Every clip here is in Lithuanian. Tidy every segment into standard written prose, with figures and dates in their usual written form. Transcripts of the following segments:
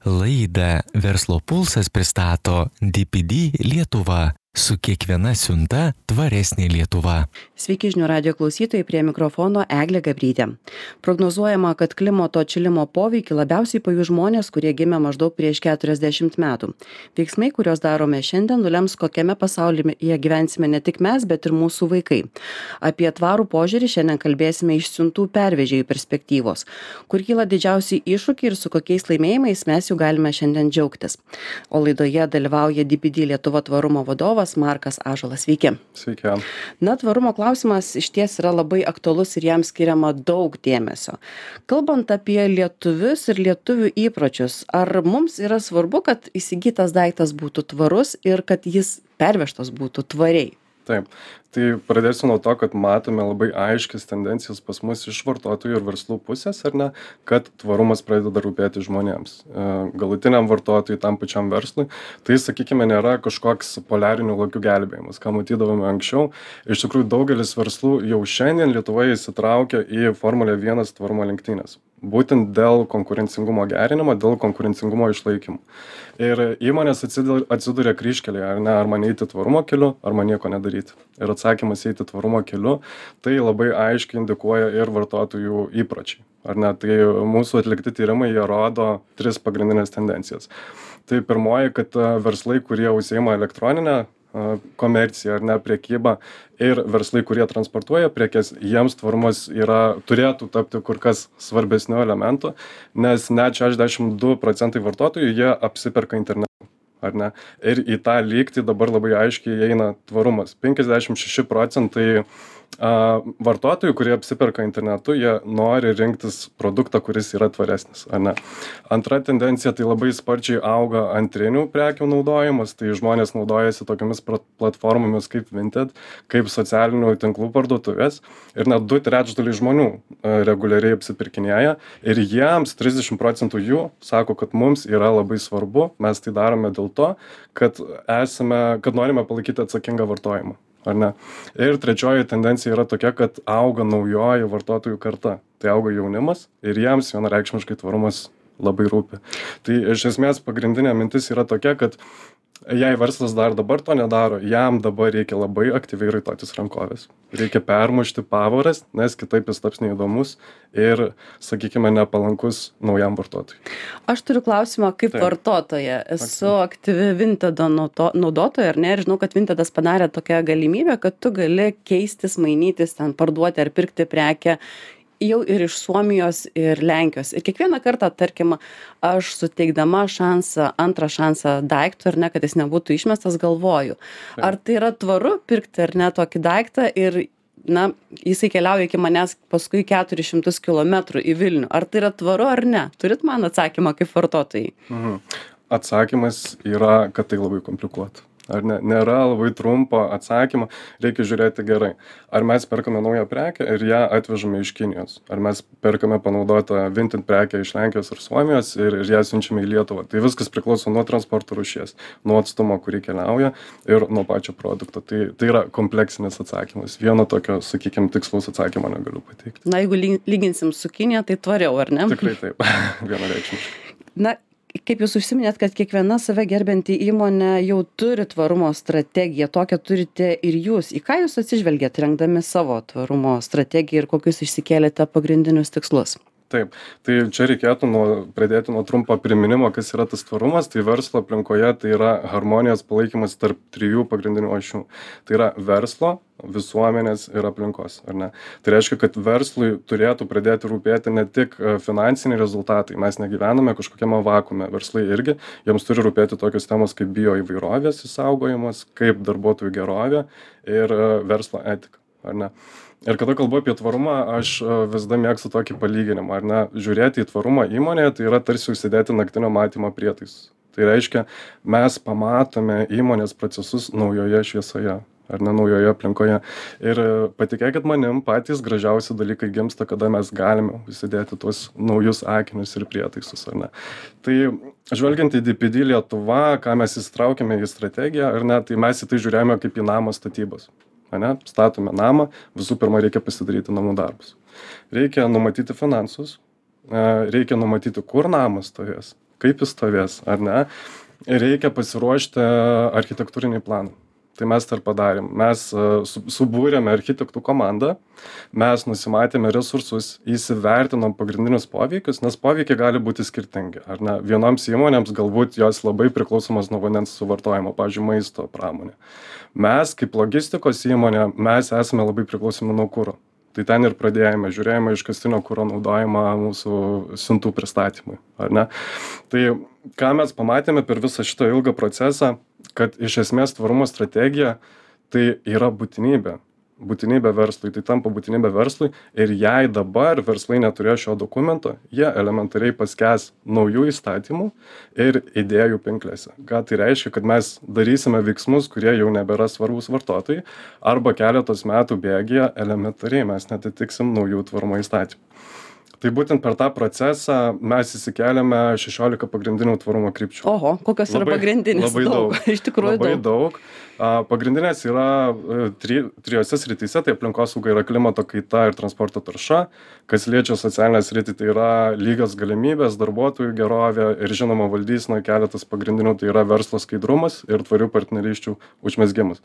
Laidą Verslo pulsas pristato DPD Lietuva. Su kiekviena siunta tvaresnė Lietuva. Sveiki žinių radijo klausytojai, prie mikrofono Eglė Gabrytė. Prognozuojama, kad klimato atšilimo poveikį labiausiai pajus žmonės, kurie gimė maždaug prieš 40 metų. Veiksmai, kuriuos darome šiandien, nulems, kokiame pasaulyje gyvensime ne tik mes, bet ir mūsų vaikai. Apie tvarų požiūrį šiandien kalbėsime iš siuntų pervežėjų perspektyvos, kur kyla didžiausiai iššūkiai ir su kokiais laimėjimais mes jau galime šiandien džiaugtis. O laidoje dalyvauja DPD Lietuva tvarumo vadovas Markas Ąžuolas. Sveiki. Sveiki. Na, tvarumo klausimas išties yra labai aktualus ir jam skiriama daug dėmesio. Kalbant apie lietuvius ir lietuvių įpročius, ar mums yra svarbu, kad įsigytas daiktas būtų tvarus ir kad jis pervežtas būtų tvariai? Taip. Tai pradėsiu nuo to, kad matome labai aiškias tendencijas pas mus iš vartotojų ir verslų pusės, ar ne, kad tvarumas pradeda rūpėti žmonėms. Galutiniam vartotojui, tam pačiam verslui, tai, sakykime, nėra kažkoks poliarinių lokių gelbėjimas, ką matydavome anksčiau. Iš tikrųjų, daugelis verslų jau šiandien Lietuvoje įsitraukia į Formulė 1 tvarumo lenktynės. Būtent dėl konkurencingumo gerinimo, dėl konkurencingumo išlaikymo. Ir įmonės atsiduria kryžkelėje, ar man eiti tvarumo keliu, ar man nieko nedaryti. Ir atsakymas eiti tvarumo keliu, tai labai aiškiai indikuoja ir vartotojų įpročiai. Tai mūsų atlikti tyrimai, jie rodo 3 pagrindinės tendencijas. Tai pirmoji, kad verslai, kurie užsiima elektroninę komerciją, prekybą, ir verslai, kurie transportuoja prekes, jiems tvarumas turėtų tapti kur kas svarbesniu elementu, nes net 62% vartotojų jie apsiperka internetu. Ir į tą lygtį dabar labai aiškiai eina tvarumas. 56% vartotojų, kurie apsiperka internetu, jie nori rinktis produktą, kuris yra tvaresnis. Antra tendencija, tai labai sparčiai auga antrinių prekių naudojimas, tai žmonės naudojasi tokiamis platformomis kaip Vinted, kaip socialinių tinklų parduotuvės, ir net 2/3 žmonių reguliariai apsipirkinėja, ir jiems 30% jų sako, kad mums yra labai svarbu, mes tai darome dėl to, kad norime palaikyti atsakingą vartojimą. Ir trečioji tendencija yra tokia, kad auga naujoji vartotojų karta. Tai auga jaunimas ir jiems vienareikšmiškai tvarumas labai rūpi. Tai iš esmės pagrindinė mintis yra tokia, kad jei verslas dar dabar to nedaro, jam dabar reikia labai aktyviai raitotis rankovės. Reikia permušti pavaras, nes kitaip jis taps neįdomus ir, sakykime, nepalankus naujam vartotojui. Aš turiu klausimą kaip vartotoja. Esu aktyvi Vintedo naudotoja, ar ne? Ir žinau, kad Vintedas padarė tokią galimybę, kad tu gali keistis, mainytis, ten parduoti ar pirkti prekę jau ir iš Suomijos ir Lenkijos. Ir kiekvieną kartą, tarkim, aš suteikdama antrą šansą daiktui, ar ne, kad jis nebūtų išmestas, galvoju. Ar tai yra tvaru pirkti, ar ne, tokį daiktą ir, jisai keliauja iki manęs paskui 400 km į Vilnių. Ar tai yra tvaru ar ne? Turit man atsakymą kaip vartotojai? Atsakymas yra, kad tai labai komplikuota. Nėra labai trumpo atsakymo, reikia žiūrėti gerai. Ar mes perkame naują prekę ir ją atvežame iš Kinijos? Ar mes perkame panaudotą Vinted prekę iš Lenkijos ir Suomijos ir ją siunčiame į Lietuvą? Tai viskas priklauso nuo transporto rūšies, nuo atstumo, kurį keliauja, ir nuo pačio produkto. Tai yra kompleksinis atsakymas. Vieno tokio, sakykime, tikslaus atsakymo negaliu pateikti. Jeigu lyginsim su Kinija, tai tvariau, ar ne? Tikrai taip, vienareikšmiškai. Kaip jūs užsiminėt, kad kiekviena save gerbianti įmonė jau turi tvarumo strategiją, tokią turite ir jūs. Į ką jūs atsižvelgiat rengdami savo tvarumo strategiją ir kokius išsikėlėte pagrindinius tikslus? Taip, tai čia reikėtų pradėti nuo trumpo priminimo, kas yra tas tvarumas. Tai verslo aplinkoje tai yra harmonijos palaikymas tarp 3 pagrindinių ašių. Tai yra verslo, visuomenės ir aplinkos, ar ne? Tai reiškia, kad verslui turėtų pradėti rūpėti ne tik finansiniai rezultatai. Mes negyvename kažkokiame vakuume. Verslai irgi, jiems turi rūpėti tokios temos kaip bioįvairovės išsaugojimas, kaip darbuotojų gerovė ir verslo etika, ar ne? Ir kada kalbu apie tvarumą, aš visada mėgstu tokį palyginimą, ar ne? Žiūrėti į tvarumą įmonėje, tai yra tarsi užsidėti naktinio matymo prietaisus. Tai reiškia, mes pamatome įmonės procesus naujoje šviesoje, ar ne, naujoje aplinkoje. Ir patikėkit manim, patys gražiausi dalykai gimsta, kada mes galime užsidėti tuos naujus akinius ir prietaisus, ar ne. Tai žvelgiant į DPD Lietuva, ką mes įsitraukėme į strategiją, ar ne, tai mes į tai žiūrėjome kaip į namo statybos. Statome namą, visų pirma reikia pasidaryti namų darbus. Reikia numatyti finansus, reikia numatyti, kur namas stovės. kaip jis stovės, ar ne. Ir reikia pasiruošti architektūrinį planą. Tai mes tai ir padarėm. Mes subūrėme architektų komandą, mes nusimatėme resursus, įsivertinom pagrindinius poveikius, nes poveikiai gali būti skirtingi. Ar ne? Vienoms įmonėms galbūt jos labai priklausomas nuo vandens suvartojimo, pavyzdžiui, maisto pramonė. Mes, kaip logistikos įmonė, mes esame labai priklausomi nuo kuro. Tai ten ir pradėjome, žiūrėjome iškastinio kuro naudojimą mūsų siuntų pristatymui, ar ne? Tai ką mes pamatėme per visą šitą ilgą procesą, kad iš esmės tvarumo strategija tai yra būtinybė verslui, tai tampa būtinybė verslui ir jei dabar verslai neturėjo šio dokumento, jie elementariai paskęs naujų įstatymų ir idėjų pinklėse. Ką tai reiškia, kad mes darysime veiksmus, kurie jau nebėra svarbus vartotojai, arba keletos metų bėgyje elementariai mes netitiksim naujų tvarumo įstatymų. Tai būtent per tą procesą mes įsikeliame 16 pagrindinių tvarumo krypčių. Oho, kokios yra pagrindinės? Labai daug. Iš tikrųjų labai daug. Pagrindinės yra trijose srityse, tai aplinkosauga yra klimato kaita ir transporto tarša. Kas liečia socialinę sritį, tai yra lygios galimybės, darbuotojų gerovė ir žinoma valdysena, keletas pagrindinių, tai yra verslo skaidrumas ir tvarių partnerysčių užmezgimas.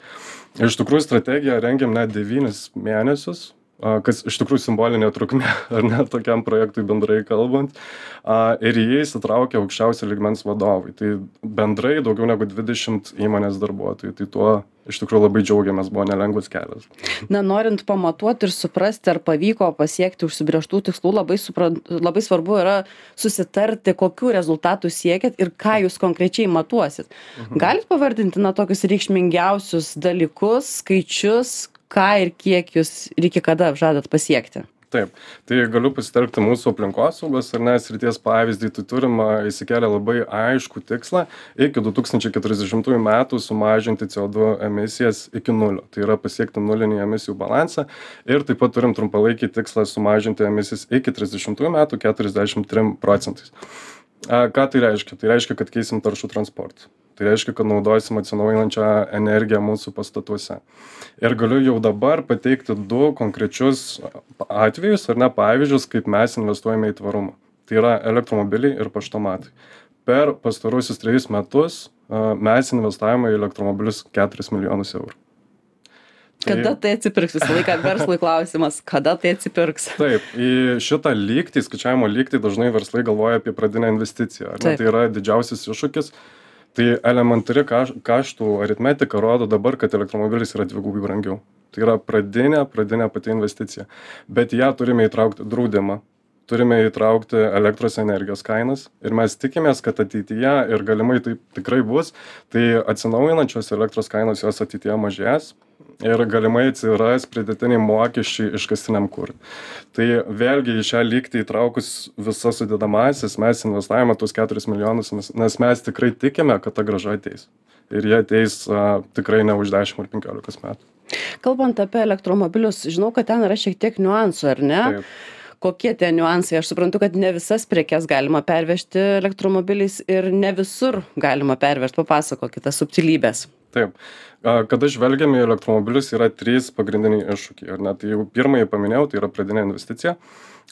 Iš tikrųjų strategiją rengiam net 9 mėnesius. Kas iš tikrųjų simbolinė trukmė, ar ne, tokiam projektui bendrai kalbant. Ir jie įsitraukia aukščiausio lygmens vadovai. Tai bendrai daugiau negu 20 įmonės darbuotojų. Tai tuo iš tikrųjų labai džiaugiamės, buvo nelengvas kelias. Na, norint pamatuoti ir suprasti, ar pavyko pasiekti užsibrėžtų tikslų, labai svarbu yra susitarti, kokių rezultatų siekit ir ką jūs konkrečiai matuosit. Galit pavardinti, tokius reikšmingiausius dalykus, skaičius, ką ir kiek jūs ir iki kada žadat pasiekti? Taip, tai galiu pasitelkti mūsų aplinkosaugos ar ne srities pavyzdį, tai turim įsikėlę labai aiškų tikslą iki 2040 metų sumažinti CO2 emisijas iki nulio. Tai yra pasiekti nulinį emisijų balansą ir taip pat turim trumpalaikį tikslą sumažinti emisijas iki 30 metų 43%. Ką tai reiškia? Tai reiškia, kad keisim taršų transportą. Tai reiškia, kad naudosim atsinaujinančią energiją mūsų pastatuose. Ir galiu jau dabar pateikti 2 konkrečius atvejus, ar ne pavyzdžius, kaip mes investuojame į tvarumą. Tai yra elektromobiliai ir paštomatai. Per pastaruosius 3 metus mes investavome į elektromobilius 4 milijonus eurų. Kada tai atsipirks? Visą laiką verslui klausimas, kada tai atsipirks? Taip, į šitą lygtį, skaičiavimo lygtį dažnai verslai galvoja apie pradinę investiciją. Tai yra didžiausias iššūkis. Tai elementari kaštų aritmetika rodo dabar, kad elektromobilis yra 2 brangiau. Tai yra pradinė pati investicija. Bet ją turime įtraukti draudimą, turime įtraukti elektros energijos kainas ir mes tikimės, kad ateityje ir galimai tai tikrai bus, tai atsinaujinančios elektros kainos jos ateityje mažės ir galimai atsiras pridėtiniai mokesčiai iškastiniam kurui. Tai vėlgi į šią lygtį įtraukus visas sudedamąsias mes investavome tuos 4 milijonus, nes mes tikrai tikime, kad ta grąža ateis. Ir jie ateis tikrai ne už 10 ar 15 metų. Kalbant apie elektromobilius, žinau, kad ten yra šiek tiek niuansų, ar ne? Taip. Kokie tie niuansai? Aš suprantu, kad ne visas prekes galima pervežti elektromobiliais ir ne visur galima pervežti. Papasakokite subtilybės. Taip. Kada žvelgiame į elektromobilius, yra 3 pagrindiniai iššūkiai. Ar ne? Tai jau pirmąjį paminėjau, tai yra pradinė investicija.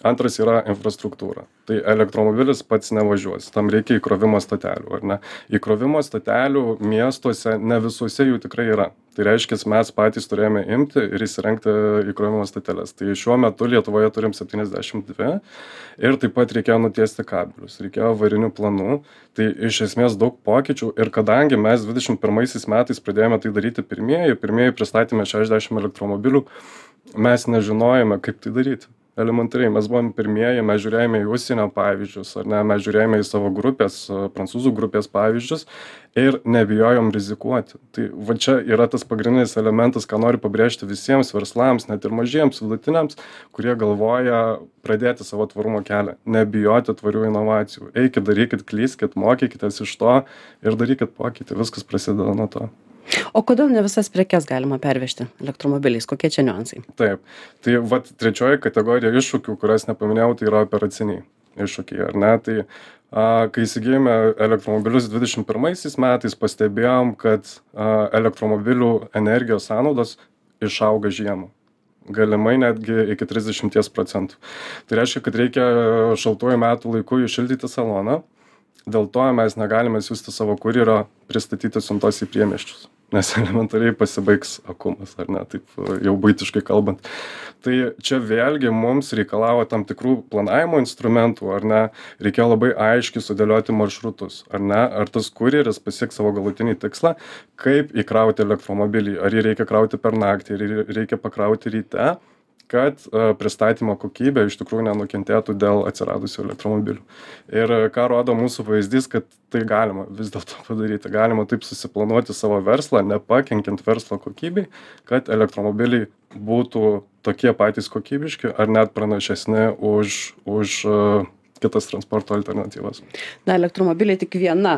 Antras yra infrastruktūra. Tai elektromobilis pats nevažiuos. Tam reikia įkrovimo stotelių, ar ne? Įkrovimo stotelių miestuose ne visuose jų tikrai yra. Tai reiškia, mes patys turėjome imti ir įsirengti įkrovimo stoteles. Tai šiuo metu Lietuvoje turim 72 ir taip pat reikėjo nutiesti kabelius, reikėjo avarinių planų. Tai iš esmės daug pokyčių ir kadangi mes 21 metais pradėjome tai daryti pirmieji pristatėme 60 elektromobilių, mes nežinojome, kaip tai daryti. Elementariai, mes buvom pirmieji, mes žiūrėjome į užsienio pavyzdžius, ar ne, mes žiūrėjome į savo grupės, prancūzų grupės pavyzdžius ir nebijojom rizikuoti. Tai va čia yra tas pagrindinis elementas, ką noriu pabrėžti visiems verslams, net ir mažiems, vidutiniams, kurie galvoja pradėti savo tvarumo kelią. Nebijoti tvarių inovacijų. Eikit, darykit, klyskit, mokykitės iš to ir darykit pokytį. Viskas prasideda nuo to. O kodėl ne visas prekes galima pervežti elektromobiliais? Kokie čia niuansai? Taip. Tai vat trečioji kategorija iššūkių, kurias nepaminėjau, tai yra operaciniai iššūkiai, ar ne? Tai kai įsigijome elektromobilius 21 metais, pastebėjom, kad elektromobilių energijos sąnaudos išauga žiemą. Galimai netgi iki 30%. Tai reiškia, kad reikia šaltuoju metų laiku įšildyti saloną. Dėl to mes negalime siųsti savo kurjerio pristatyti siuntos į priemiesčius, nes elementariai pasibaigs akumas, ar ne, taip jau buitiškai kalbant. Tai čia vėlgi mums reikalavo tam tikrų planavimo instrumentų, ar ne, reikėjo labai aiškiai sudėlioti maršrutus, ar ne, ar tas kurjeris pasieks savo galutinį tikslą, kaip įkrauti elektromobilį, ar jį reikia krauti per naktį, ar jį reikia pakrauti ryte, kad pristatymo kokybė iš tikrųjų nenukentėtų dėl atsiradusių elektromobilių. Ir ką rodo mūsų pavyzdys, kad tai galima vis dėlto padaryti. Galima taip susiplanuoti savo verslą, nepakenkiant verslo kokybei, kad elektromobiliai būtų tokie patys kokybiški ar net pranašesni už kitas transporto alternatyvas. Na, elektromobiliai tik viena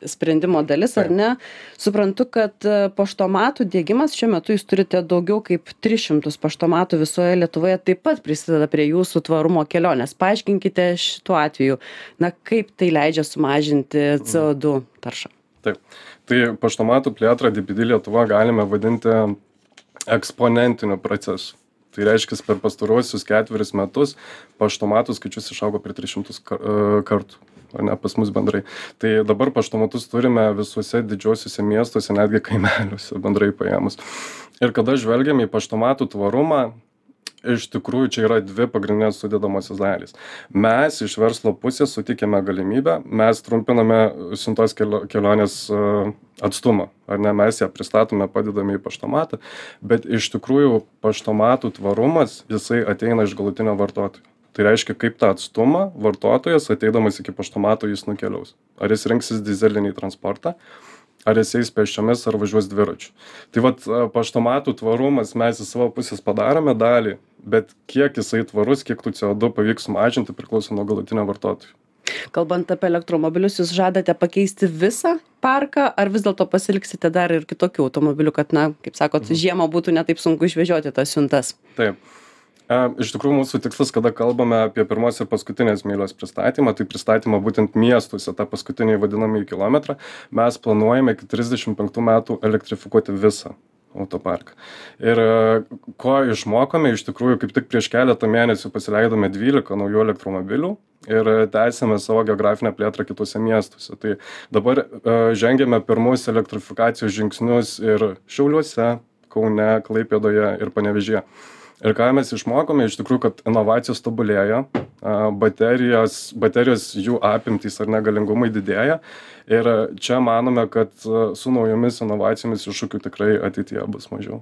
sprendimo dalis, ar ne? Suprantu, kad paštomatų diegimas šiuo metu jūs turite daugiau kaip 300 paštomatų visoje Lietuvoje, taip pat prisideda prie jūsų tvarumo kelionės. Paaiškinkite šituo atveju, na, kaip tai leidžia sumažinti CO2 taršą. Taip. Tai paštomatų plėtrą DPD Lietuva galime vadinti eksponentiniu procesu. Tai reiškia, per pastaruosius 4 metus paštomatų skaičius išaugo per 300 kartų, o ne pas mus bendrai. Tai dabar paštomatus turime visuose didžiuosiuose miestuose, netgi kaimeliuose bendrai paėmus. Ir kada žvelgiame į paštomatų tvarumą, iš tikrųjų čia yra 2 pagrindinės sudedamosios dalys. Mes iš verslo pusės sutikėme galimybę, mes trumpiname siuntos kelionės atstumą, ar ne, mes ją pristatome, padedame į paštomatą, bet iš tikrųjų paštomatų tvarumas, jisai ateina iš galutinio vartotojo. Tai reiškia, kaip tą atstumą vartotojas ateidamas iki paštomato jis nukeliaus. Ar jis rinksis dizelinį transportą, ar jis eis pėsčiomis, ar važiuos dviračiu. Tai vat paštomatų tvarumas mes į savo pusės padarome dalį, bet kiek jisai tvarus, kiek tų CO2 pavyks sumažinti, priklauso nuo galutinio vartotojo. Kalbant apie elektromobilius, jūs žadate pakeisti visą parką, ar vis dėlto pasiliksite dar ir kitokių automobilių, kad, na, kaip sakot, žiemą būtų netaip sunku išvežioti tas siuntas? Taip. Iš tikrųjų, mūsų tikslas, kada kalbame apie pirmos ir paskutinės mylios pristatymą, tai pristatymą būtent miestuose, tą paskutinį vadinamąjį kilometrą, mes planuojame iki 35 metų elektrifikuoti visą autoparką. Ir ko išmokome, iš tikrųjų, kaip tik prieš keletą mėnesių pasileidome 12 naujų elektromobilių ir tęsėme savo geografinę plėtrą kitose miestuose. Tai dabar žengėme pirmus elektrifikacijos žingsnius ir Šiauliuose, Kaune, Klaipėdoje ir Panevėžyje. Ir ką mes išmokome, iš tikrųjų, kad inovacijos tobulėja, baterijos jų apimtys ar negalingumai didėja. Ir čia manome, kad su naujomis inovacijomis iššūkių tikrai ateityje bus mažiau.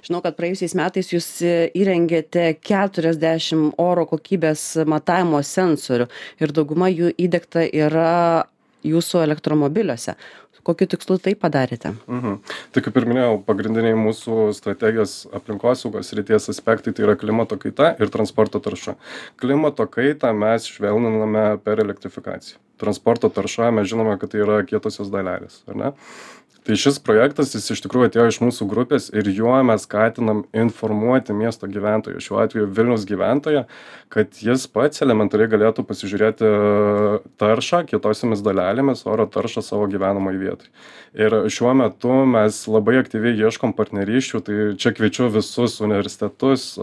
Žinau, kad praėjusiais metais jūs įrengėte 40 oro kokybės matavimo sensorių ir dauguma jų įdiegta yra jūsų elektromobiliuose. Kokiu tikslu tai padarėte? Tai kaip ir minėjau, pagrindiniai mūsų strategijos aplinkosaugos srities aspektai tai yra klimato kaita ir transporto tarša. Klimato kaitą mes švelniname per elektrifikaciją. Transporto tarša mes žinome, kad tai yra kietosios dalelės, ar ne? Tai šis projektas, jis iš tikrųjų atėjo iš mūsų grupės ir juo mes skatinam informuoti miesto gyventojų, šiuo atveju Vilniaus gyventoją, kad jis pats elementariai galėtų pasižiūrėti taršą kietosiomis dalelėmis, oro taršą savo gyvenamai vietai. Ir šiuo metu mes labai aktyviai ieškom partnerysčių, tai čia kviečiu visus universitetus,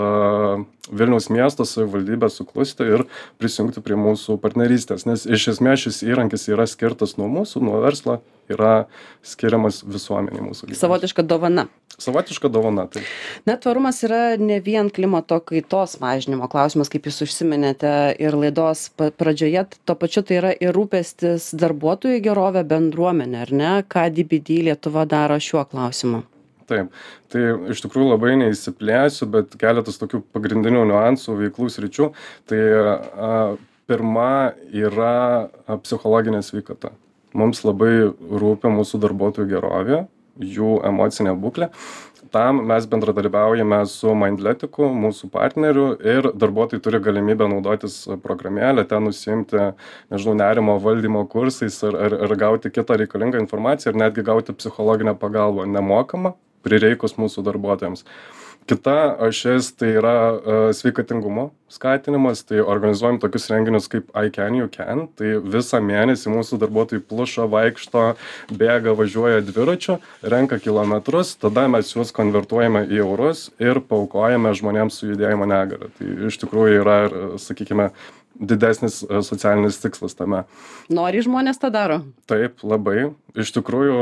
Vilniaus miesto savivaldybę suklusti ir prisijungti prie mūsų partnerystės, nes iš esmės šis įrankis yra skirtas nuo mūsų, nuo verslo, yra skiriamas visuomeniai mūsų gyvenimui. Savotiška dovana. Savotiška dovana, tai. Net tvarumas yra ne vien klimato kaitos mažinimo klausimas, kaip jūs užsiminėte ir laidos pradžioje, to pačiu tai yra ir rūpestis darbuotojų gerovė, bendruomenė, ar ne? Ką DPD Lietuva daro šiuo klausimu? Taip, tai iš tikrųjų labai neįsiplėsiu, bet keletas tokių pagrindinių niuansų, veiklų sričių. Tai pirma yra psichologinė sveikata. Mums labai rūpi mūsų darbuotojų gerovė, jų emocinė būklė. Tam mes bendradarbiaujame su Mindletiku, mūsų partneriu, ir darbuotojai turi galimybę naudotis programėlę, ten nusiimti, nežinau, nerimo valdymo kursais ar gauti kitą reikalingą informaciją ir netgi gauti psichologinę pagalbą nemokamą prireikus mūsų darbuotojams. Kita ašis tai yra sveikatingumo skatinimas, tai organizuojam tokius renginius kaip I Can, You Can, tai visą mėnesį mūsų darbuotojai pluša, vaikšto, bėga, važiuoja dviračiu, renka kilometrus, tada mes juos konvertuojame į eurus ir paaukojame žmonėms su judėjimo negalia. Tai iš tikrųjų yra, sakykime, didesnis socialinis tikslas tame. Nori žmonės tą daro? Taip, labai. Iš tikrųjų,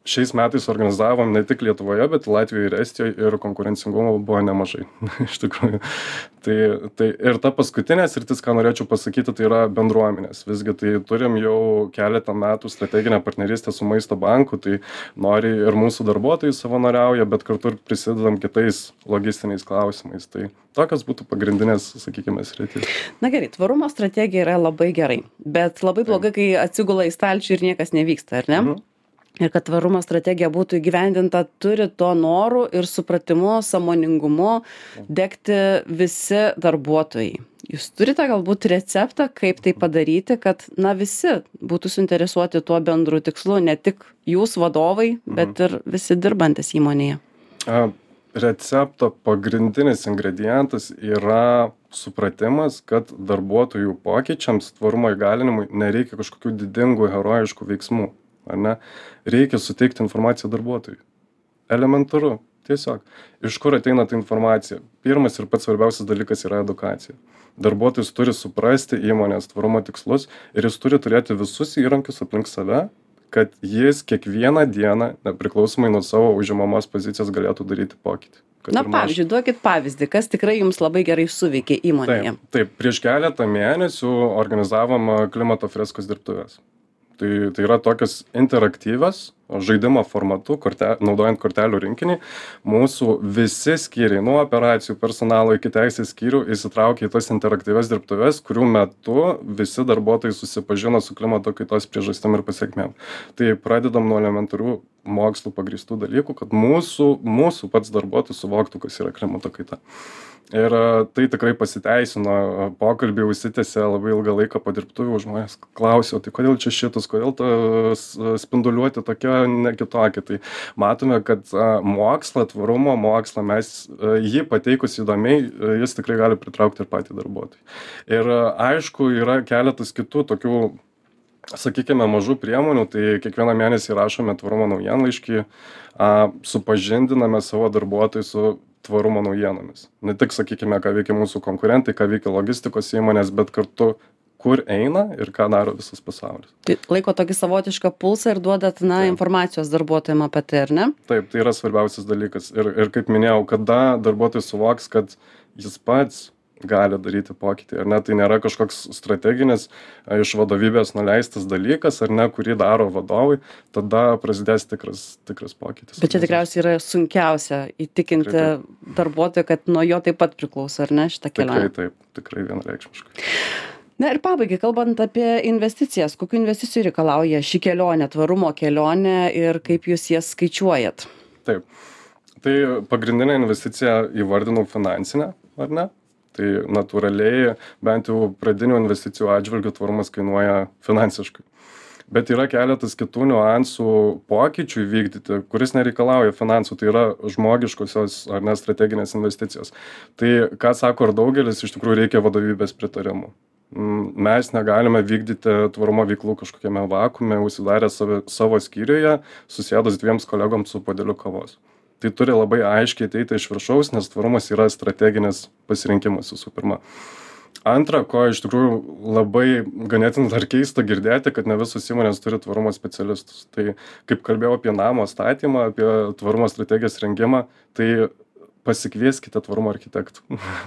šiais metais organizavom ne tik Lietuvoje, bet Latvijoje ir Estijoje ir konkurencingumo buvo nemažai. Iš tikrųjų. Tai ir ta paskutinė sritis, ką norėčiau pasakyti, tai yra bendruomenės. Visgi tai turim jau keletą metų strateginę partnerystę su Maisto banku, tai nori ir mūsų darbuotojai savanoriauja, bet kartu ir prisidedam kitais logistiniais klausimais. Tai tokios būtų pagrindinės, sakykime, sritys. Na gerai, tvarumo strategija yra labai gerai, bet labai blogai, kai atsigula į stalčių ir niekas nevyksta, ar ne? Ir kad tvarumo strategija būtų įgyvendinta, turi to norų ir supratimu, sąmoningumu degti visi darbuotojai. Jūs turite galbūt receptą, kaip tai padaryti, kad visi būtų suinteresuoti tuo bendru tikslu, ne tik jūs vadovai, bet ir visi dirbantis įmonėje? Recepto pagrindinis ingredientas yra supratimas, kad darbuotojų pokyčiams, tvarumo įgalinimui nereikia kažkokių didingų herojiškų veiksmų. Ar ne? Reikia suteikti informaciją darbuotojui. Elementaru, tiesiog. Iš kur ateina ta informacija? Pirmas ir pats svarbiausias dalykas yra edukacija. Darbuotojas turi suprasti įmonės tvarumo tikslus ir jis turi turėti visus įrankius aplink save, kad jis kiekvieną dieną, nepriklausomai nuo savo užimamos pozicijos, galėtų daryti pokytį. Pavyzdžiui, duokit pavyzdį, kas tikrai jums labai gerai suveikė įmonėje. Taip, prieš keletą mėnesių organizavom klimato freskos dirbtuves. Tai yra tokios interaktyvios, žaidimo formatu, naudojant kortelių rinkinį. Mūsų visi skyriai, nuo operacijų personalo iki teisės skyrių, įsitraukė į tas interaktyvias dirbtuves, kurių metu visi darbuotojai susipažino su klimato kaitos priežastim ir pasekmėm. Tai pradedam nuo elementarių mokslų pagrįstų dalykų, kad mūsų pats darbuotojas suvoktų, kas yra klimato kaita. Ir tai tikrai pasiteisino, pokalbiai užsitęsė labai ilgą laiką po dirbtuvių, žmonės klausė, tai kodėl čia šitas, kodėl ta spinduliuoti tokia, ne kitokia. Tai matome, kad tvarumo mokslą mes jį pateikus įdomiai, jis tikrai gali pritraukti ir patį darbuotojų. Ir aišku, yra keletas kitų tokių, sakykime, mažų priemonių, tai kiekvieną mėnesį rašome tvarumo naujienlaiškį, supažindiname savo darbuotojus su tvarumo naujienomis. Ne tik, sakykime, ką veikia mūsų konkurentai, ką veikia logistikos įmonės, bet kartu, kur eina ir ką daro visas pasaulis. Tai laiko tokį savotišką pulsą ir duodat, informacijos darbuotojams apie tai, ar ne? Taip, tai yra svarbiausias dalykas. Ir kaip minėjau, kada darbuotojas suvoks, kad jis pats gali daryti pokytį, ar ne, tai nėra kažkoks strateginis iš vadovybės nuleistas dalykas, ar ne, kurį daro vadovai, tada prasidės tikras pokytis. Bet čia tikriausiai yra sunkiausia įtikinti darbuotoją, kad nuo jo taip pat priklauso, ar ne, šitą kelionę? Tikrai vienareikšmiškai. Na ir pabaigai, kalbant apie investicijas, kokių investicijų reikalauja ši kelionė, tvarumo kelionė ir kaip jūs jas skaičiuojat? Taip, tai pagrindinė investicija įvardinau finansinę, ar ne? Tai natūraliai, bent jau pradinių investicijų atžvilgių tvarumas kainuoja finansiškai. Bet yra keletas kitų niuansų pokyčių įvykdyti, kuris nereikalauja finansų, tai yra žmogiškosios ar ne strateginės investicijos. Tai, ką sako ir daugelis, iš tikrųjų reikia vadovybės pritarimų. Mes negalime vykdyti tvarumo veiklų kažkokiame vakuume, užsidarę savo skyriuje, susėdus 2 kolegoms su puodeliu kavos. Tai turi labai aiškiai ateiti iš viršaus, nes tvarumas yra strateginis pasirinkimas visų pirma. Antra, ko iš tikrųjų labai ganėtinai dar keista girdėti, kad ne visos įmonės turi tvarumo specialistus. Tai kaip kalbėjau apie namo statymą, apie tvarumo strategijos rengimą, tai pasikvieskite tvarumo architektų.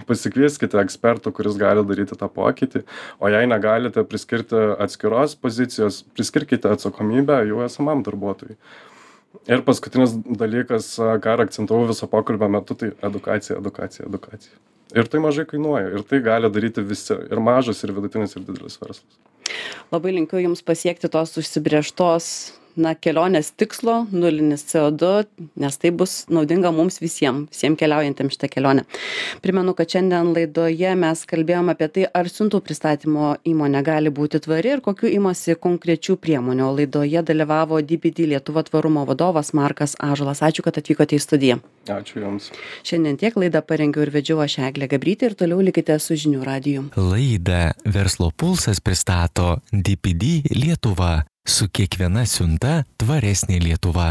Pasikvieskite ekspertų, kuris gali daryti tą pokytį, o jei negalite priskirti atskiros pozicijos, priskirkite atsakomybę jų esamam darbuotojui. Ir paskutinis dalykas, ką akcentavau viso pokalbio metu, tai edukacija. Ir tai mažai kainuoja, ir tai gali daryti visi, ir mažas, ir vidutinis, ir didelis verslas. Labai linkiu jums pasiekti tos užsibrėžtos kelionės tikslo, nulinis CO2, nes tai bus naudinga mums visiems keliaujantiems šitą kelionę. Primenu, kad šiandien laidoje mes kalbėjome apie tai, ar siuntų pristatymo įmonė gali būti tvari ir kokių imasi konkrečių priemonių. Laidoje dalyvavo DPD Lietuva tvarumo vadovas Markas Ąžuolas. Ačiū, kad atvykote į studiją. Ačiū Jums. Šiandien tiek laidą parengiau ir vedžiau aš Eglė Gabrytė ir toliau likite su Žinių radiju. Laidą Verslo pulsas pristato DPD Lietuva. Su kiekviena siunta tvaresnė Lietuva.